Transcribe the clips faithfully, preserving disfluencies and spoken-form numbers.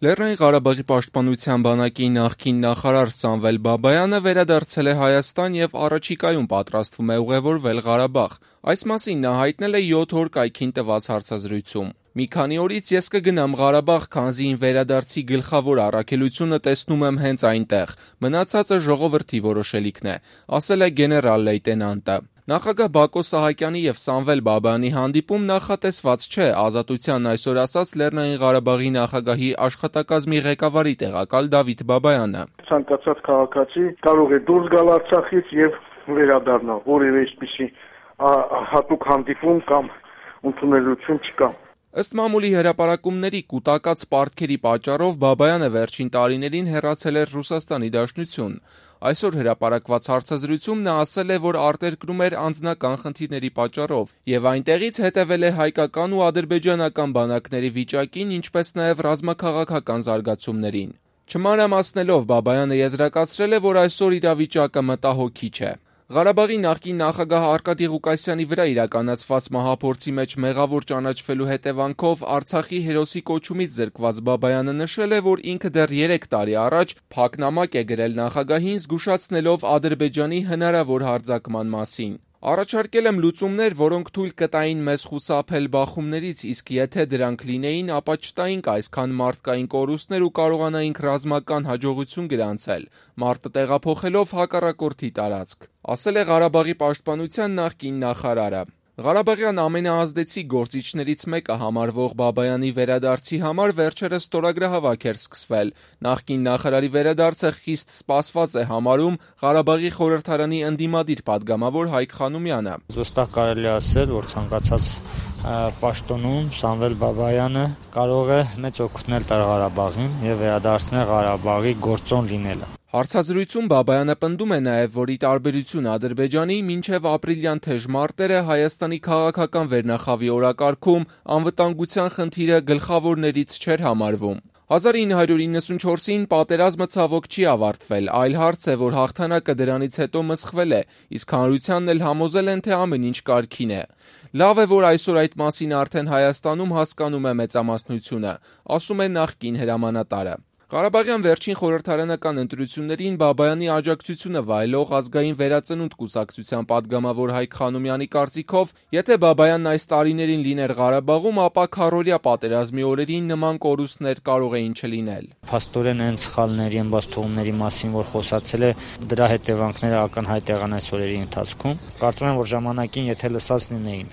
Լեռնային Ղարաբաղի պաշտպանության բանակի նախկին նախարար Սամվել Բաբայանը վերադարձել է Հայաստան և առաջիկայում պատրաստվում է ուղևորվել Ղարաբաղ։ Այս մասին նա հայտնել է յոթ օր կայքին տված հարցազրույցում։ «Մի քանի օրից ես կգնամ Ղարաբաղ, քանզի իմ վերադարձի գլխավոր առաքելությունը տեսնում եմ հենց այնտեղ, մնացածը ժողովրդի որոշելիքն է», ասել է գեներալ լեյտենանտը։ Նախագահ Բակո Սահակյանի և Սամվել Բաբայանի հանդիպում նախատեսված չէ, Ազատությանն այսօր ասաց Լեռնային Ղարաբաղի նախագահի աշխատակազմի ղեկավարի տեղակալ Դավիթ Բաբայանը։ Ցանկացած քաղաքացի կարող է դուրս գալ Արցախից և վերադառնալ, որևէ այսպիսի հատուկ հանդիպում կամ ընդունելություն չկա։ Ըստ մամուլի հրապարակումների կուտակած պարտքերի պատճառով Բաբայանը վերջին տարիներին հեռացել էր Ռուսաստանի Դաշնություն։ Այսօր հրապարակված հարցազրույցում նա ասել է, որ արտերկրում էր անձնական խնդիրների պատճառով և այնտեղից հետևել է հայկական ու ադրբեջանական բանակների վիճակին, ինչպես նաև ռազմաքաղաքական զարգացումներին։ Չմանրամասնելով Բաբայանը եզրակացրել է, որ այսօր իրավիճակը մտահոգիչ է։ Ղարաբաղի նախկին նախագահ Արկադի Ղուկասյանի վրա իրականացված մահափորձի մեջ մեղավոր ճանաչվելու հետևանքով Արցախի հերոսի կոչումից զրկված Բաբայանը նշել է, որ ինքը դեռ երեք տարի առաջ փակ նամակ է գրել նախագահին, զգուշացնելով Ադրբեջանի հնարավոր հարձակման մասին։ Առաջարկել եմ լուծումներ, որոնք թույլ կտային մեզ խուսափել բախումներից, իսկ եթե դրանք լինեին, ապա չտայինք այսքան մարդկային կորուստներ ու կարողանայինք ռազմական հաջողություն գրանցել, մարտը տեղափոխելով հակառակորդի տարածք, ասել է Ղարաբաղի պաշտպանության նախկին նախարարը։ Ղարաբաղյան ամենաազդեցիկ գործիչներից մեկը համարվող Բաբայանի վերադարձի համար վերջերս ստորագրահավաք էր սկսվել։ Նախկին նախարարի վերադարձը խիստ սպասված է համարում Ղարաբաղի խորհրդարանի ընդդիմադիր պատգամավոր Հայկ Խանոմյանը։ Զուստահ կարելի է ասել, որ ցանկացած պաշտոնում Սամվել Բաբայանը կարող է մեծ օգուտ տալ Ղարաբաղին և վերադարձնել Ղարաբաղի գործոն լինելը։ Հարցազրույցում Բաբայանը պնդում է նաև, որ ի տարբերություն Ադրբեջանի, մինչև ապրիլյան թեժ մարտերը Հայաստանի քաղաքական վերնախավի օրակարգում անվտանգության խնդիրը գլխավորներից չէր համարվում։ հազար ինը հարյուր իննսունչորսին պատերազմը ցավոք չի ավարտվել, այլ հարց է, որ հաղթանակը դրանից հետո մսխվել է, իսկ հանրությանն էլ համոզել են, թե ամեն ինչ կարգին է։ Լավ է, որ այսօր այդ մասին արդեն Հայաստանում հասկանում է մեծամասնությունը, ասում է նախկին հրամանատարը։ Ղարաբաղյան վերջին խորհրդարանական ընտրություններին Բաբայանի աջակցությունը վայելող Ազգային վերածնունդ կուսակցության պատգամավոր Հայկ Խանոմյանի կարծիքով, եթե Բաբայանն այս տարիներին լիներ Ղարաբաղում, ապա քառօրյա պատերազմի օրերին նման կորուստներ կարող էին չլինել։ Փաստորեն այն սխալների, ըմբաստողումների մասին, որ խոսացել է, դրա հետևանքները ակնհայտ եղան այս օրերի ընթացքում։ Կարծում եմ, որ ժամանակին, եթե լսած լինեին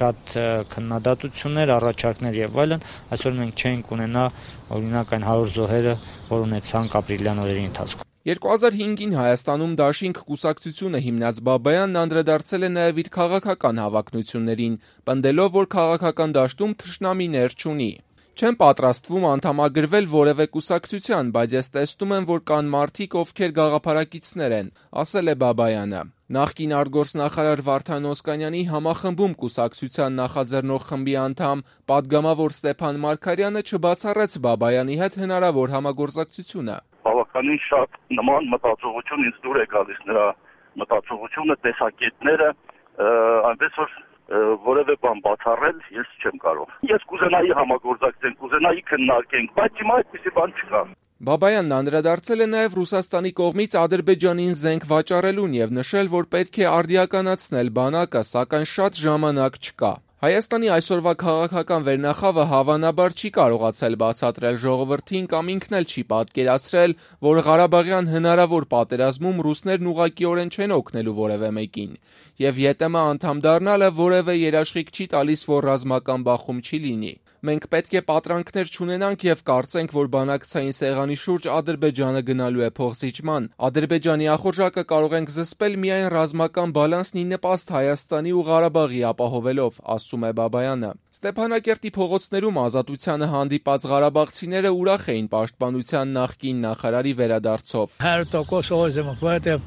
շատ քննադատություններ, առաջարկներ եւ այլն, այսօր մենք չենք ունենա օրինակ այն հարյուր զոհերը, որ ունեցանք ապրիլյան օրերի ընթացքում։ երկու հազար հինգին Հայաստանում Դաշինք կուսակցությունը հիմնած Բաբայանն անդրադարձել է նաև իր քաղաքական հավակնություններին, պնդելով, որ քաղաքական դաշտում թշնամիներ չունի։ Չեմ պատրաստվում անդամագրվել որևէ կուսակցության, բայց ես տեսնում եմ, որ կան մարդիկ, ովքեր գաղափարակիցներ են, ասել է Բաբայանը։ Նախկին արտգործնախարար Վարդան Օսկանյանի համախմբում կուսակցության նախաձեռնող խմբի անդամ պատգամավոր Ստեփան Մարգարյանը չբացառեց Բաբայանի հետ հնարավոր համագործակցությունը։ Բավականին շատ նման մտածողություն ինձ դուր է գալիս, նրա մտածողությունը, տեսակետները, այնպես որ որևէ բան բացառել ես չեմ կարող։ Ես կուզենայի համագործակցենք, կուզենայի քննարկենք, բայց հիմա այդպիսի բան չկա։ Բաբայանն անդրադարձել է նաև Ռուսաստանի կողմից Ադրբեջանին զենք վաճառելուն և նշել, որ պետք է արդիականացնել բանակը, սակայն շատ ժամանակ չկա։ Հայաստանի այսօրվա քաղաքական վերնախավը հավանաբար չի կարողացել բացատրել ժողովրդին կամ ինքն էլ չի պատկերացրել, որ Ղարաբաղյան հնարավոր պատերազմում ռուսներն ուղղակիորեն չեն օգնելու որևէ մեկին, և ԵՏՄ անդամ դառնալը որևէ երաշխիք չի տալիս, որ ռազմական բախում չի լինի։ Մենք պետք է պատրանքներ չունենանք և կարծենք, որ բանակցային սեղանի շուրջ Ադրբեջանը գնալու է փոխզիջման։ Ադրբեջանի ախորժակը կարող ենք զսպել միայն ռազմական բալանսն ի նպաստ Հայաստանի ու Ղարաբաղի ապահովելով, ասում է Բաբայանը։ Ստեփանակերտի փողոցներում Ազատությանը հանդիպած ղարաբաղցիները ուրախ էին պաշտպանության նախկին նախարարի վերադարձով։ Հարյուր տոկոս օժ եմ, որովհետև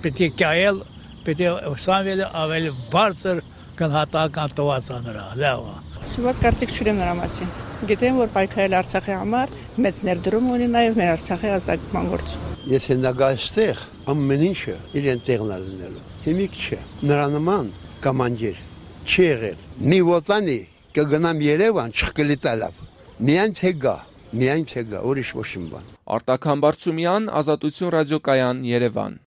պետք է կայել, պետք է Սամվելը ավելի բարձր գնահատական տված նրա, լավ է։ Շուտ կարծիք չունեմ նրա մասին։ Գիտեմ, որ պայքարել Արցախի համար մեծ ներդրում ունի նաև մեր Արցախի ազատագրման գործում։ Եթե նագաստեղ ամեն ինչը իրեն տեղն է լինելու։ Հիմիկ չէ։ Նրա նման կոմանդիր չի եղել։ Մի ոտանի կգնամ Երևան չկլիտալավ։ Միայն թե գա։ միայն թե գա, ուրիշ ոչ մի բան։ Արտակ Համբարձումյան, Ազատություն ռադիոկայան, Երևան։